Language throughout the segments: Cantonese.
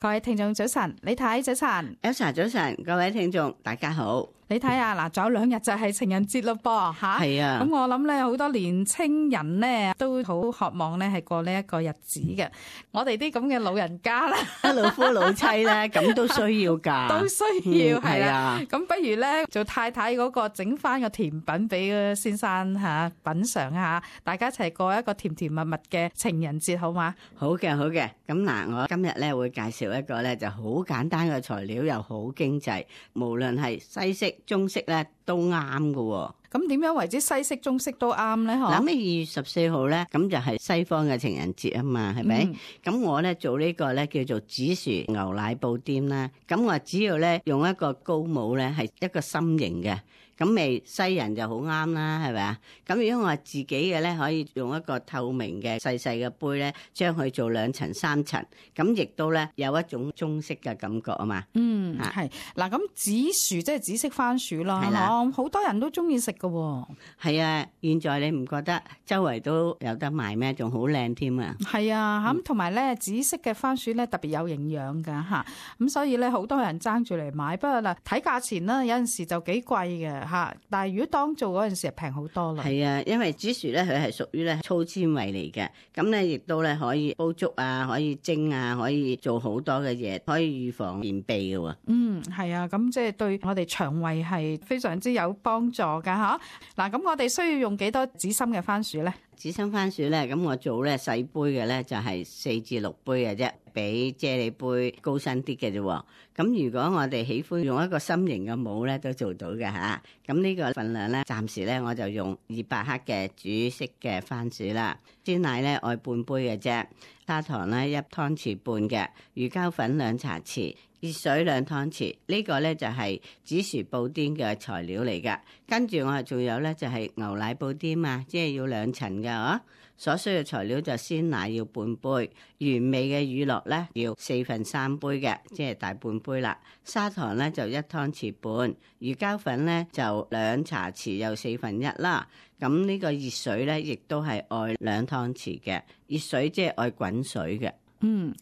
各位聽眾早晨，李太早晨 Elsa 早晨，各位聽眾大家好。你睇下嗱，仲有2日就係情人節咯噃吓。係啊，咁我諗咧，好多年青人咧都好渴望咧係過呢一個日子嘅。我哋啲咁嘅老人家啦，老夫老妻咧，咁都需要㗎，都需要係啦。咁不如咧做太太嗰個整翻個甜品俾先生吓品嘗下，大家一齊過一個甜甜蜜蜜嘅情人節，好嗎？好嘅，好嘅。咁嗱，我今日咧會介紹一個咧就好簡單嘅材料，又好經濟，無論係西式、中式咧都啱㗎。咁點樣為之西式、中式都啱咧？嗬？嗱，咩2月14號咧，咁就係西方嘅情人節啊嘛，係咪？咁我咧做呢個咧叫做紫薯牛奶布甸啦。咁我只要咧用一個高模咧係一個心形嘅，咁咪西人就好啱啦，係咪啊？咁如果我自己嘅咧，可以用一個透明嘅細細嘅杯咧，將佢做2層3層，咁亦都咧有一種中式嘅感覺啊嘛。係嗱，咁紫薯即係紫色番薯啦，係啦，好多人都中意食噶。係啊，現在你唔覺得周圍都有得賣咩？仲好靚添啊！係啊，咁同埋咧紫色嘅番薯咧特別有營養噶吓，咁所以咧好多人爭住嚟買。不過嗱，睇價錢啦，有陣時就幾貴嘅吓，但係如果當做嗰陣時就平好多啦。係啊，因為紫薯咧佢係屬於咧粗纖維嚟嘅，咁咧亦都咧可以煲粥啊，可以蒸啊，可以做好多嘅嘢，可以預防便秘嘅。係啊，咁即係對我哋腸胃係非常之有幫助噶吓。嗱，咁我哋需要用幾多紫心嘅番薯咧？紫心番薯咧，咁我做咧細杯嘅咧就係4至6杯嘅啫，比啫喱杯高身啲嘅啫。咁如果我哋喜歡用一個心形嘅模咧，都做到嘅吓。咁呢個份量咧，暫時咧我就用200克嘅煮色嘅番薯啦。鮮奶咧愛半杯嘅啫，砂糖咧1湯匙半嘅，魚膠粉2茶匙。熱水2湯匙，呢個咧就係紫薯布甸嘅材料嚟噶。跟住我仲有咧就係牛奶布甸嘛，即係要2層噶哦。所需嘅材料就鮮奶要半杯，原味嘅乳酪咧要3/4杯嘅，即係大半杯啦。砂糖咧就1湯匙半，魚膠粉咧就2茶匙又1/4啦。咁呢個熱水咧亦都係愛2湯匙嘅，熱水即係愛滾水嘅。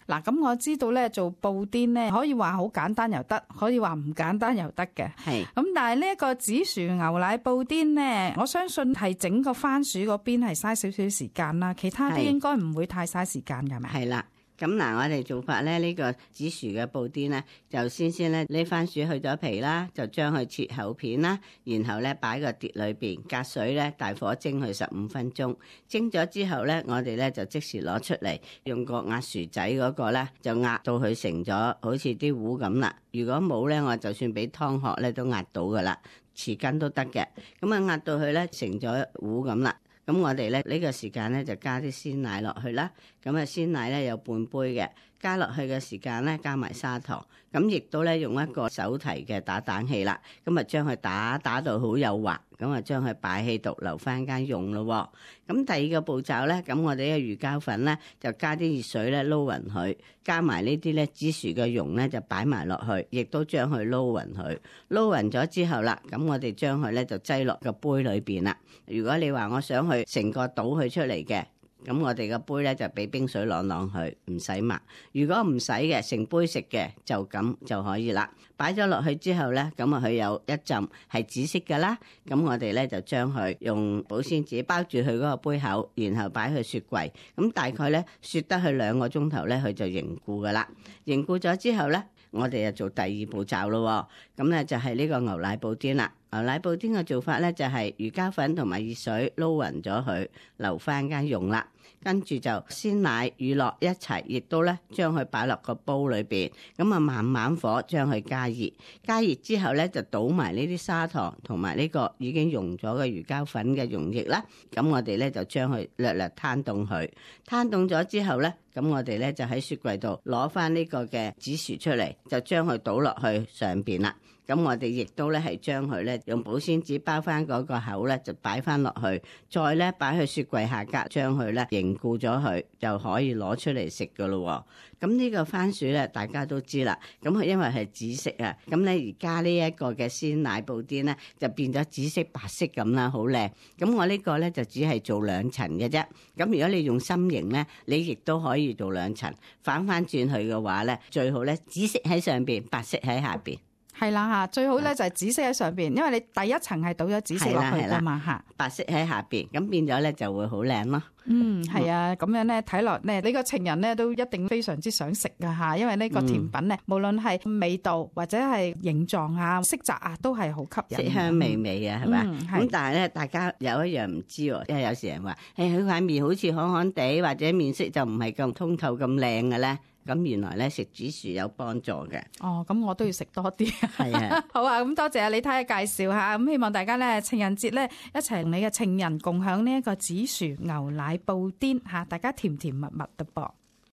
嗱，咁我知道咧做布甸咧，可以話好簡單又得，可以話唔簡單又得嘅。係。咁但係呢一個紫薯牛奶布甸咧，我相信係整個番薯嗰邊係嘥少少時間啦，其他啲應該唔會太嘥時間㗎，係咪？係啦。咁嗱，我哋做法咧，呢個紫薯嘅布甸咧，就先咧呢番薯去咗皮啦，就將佢切厚片啦，然後咧擺個碟裏邊，隔水咧大火蒸佢15分鐘，蒸咗之後咧，我哋咧就即時攞出嚟，用個壓薯仔嗰個咧，就壓到佢成咗好似啲糊咁啦。如果冇咧，我就算俾湯殼咧都壓到噶啦，匙羹都得嘅。咁啊壓到佢咧成咗糊咁啦。咁我哋咧呢個時間咧就加啲鮮奶落去啦，咁啊鮮奶咧有半杯嘅，加落去嘅時間咧加埋砂糖，咁亦都咧用一個手提嘅打蛋器啦，咁啊將佢打到好幼滑，咁啊將佢擺喺度留翻間用咯。咁第二個步驟咧，咁我哋嘅魚膠粉咧就加啲熱水咧撈勻佢，加埋呢啲咧紫薯嘅蓉咧就擺埋落去，亦都將佢撈勻佢，撈勻咗之後啦，咁我哋將佢咧就擠落個杯裏邊啦。如果你話我想去成個倒佢出嚟嘅，咁我哋個杯咧就俾冰水啷啷佢，唔使抹。如果唔使嘅，成杯食嘅就咁就可以啦。擺咗落去之後咧，咁啊佢有一浸係紫色噶啦，咁我哋咧就將佢用保鮮紙包住佢嗰個杯口，然後擺去雪櫃。咁大概咧雪得去2個鐘頭咧，佢就凝固噶啦。凝固咗之後咧，我哋就做第二步驟咯。咁咧就係呢個牛奶布甸啦。牛奶布甸嘅做法咧就係魚膠粉同埋熱水撈勻咗佢，留翻間用啦。跟住就鮮奶、乳酪一齊，亦都咧將佢擺落個煲裏邊，咁啊慢慢火將佢加熱。加熱之後咧就倒埋呢啲砂糖同埋呢個已經溶咗嘅魚膠粉嘅溶液啦。咁我哋咧就將佢略略攤凍佢，攤凍咗之後咧，咁我哋咧就喺雪櫃度攞翻呢個嘅紫薯出嚟，就將佢倒落去上邊啦。咁我哋亦都咧係將佢咧用保鮮紙包翻嗰個口咧，就擺翻落去，再咧擺去雪櫃下格，將佢咧凝固咗佢，就可以攞出嚟食噶咯。咁呢個番薯咧，大家都知啦。咁佢因為係紫色啊，咁咧而家呢一個嘅鮮奶布甸咧，就變咗紫色白色咁啦，好靚。咁我呢個咧就只係做2層嘅啫。咁如果你用心形咧，你亦都可以做2層。反轉去嘅話咧，最好咧紫色喺上邊，白色喺下邊。係啦嚇，最好咧就係紫色喺上邊，因為你第一層係倒咗紫色落去㗎嘛嚇，白色喺下邊，咁變咗咧就會好靚咯。係啊，咁樣咧睇落咧，呢個情人咧都一定非常之想食㗎嚇，因為呢個甜品咧，無論係味道或者係形狀啊、色澤啊，都係好吸引，色香味美啊，係咪？咁但係咧，大家有一樣唔知喎，因為有時人話，佢塊面好似旱旱地，或者面色就唔係咁通透咁靚嘅咧。咁原來咧食紫薯有幫助嘅。哦，咁我都要食多啲。係啊，好啊，咁多謝李太嘅介紹嚇，咁希望大家咧情人節咧一齊同你嘅情人共享呢一個紫薯牛奶布甸嚇，大家甜甜蜜蜜㗎噃。